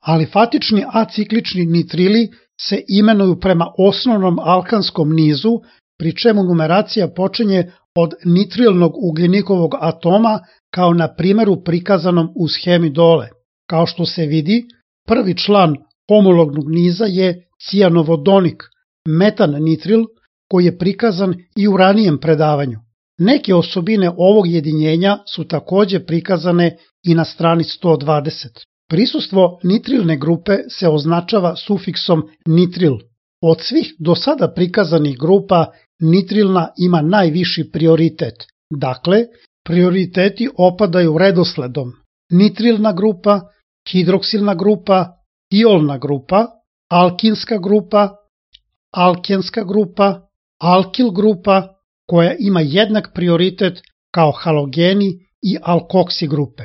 Alifatični aciklični nitrili se imenuju prema osnovnom alkanskom nizu, pri čemu numeracija počinje od nitrilnog ugljenikovog atoma kao na primjeru prikazanom u schemi dole. Kao što se vidi, prvi član homolognog niza je cijanovodonik, metan nitril, koji je prikazan i u ranijem predavanju. Neke osobine ovog jedinjenja su takođe prikazane i na strani 120. Prisustvo nitrilne grupe se označava sufiksom nitril. Od svih do sada prikazanih grupa nitrilna ima najviši prioritet. Dakle, prioriteti opadaju redosledom: nitrilna grupa, hidroksilna grupa, tiolna grupa, alkinska grupa, alkenska grupa, alkil grupa, koja ima jednak prioritet kao halogeni i alkoksi grupe.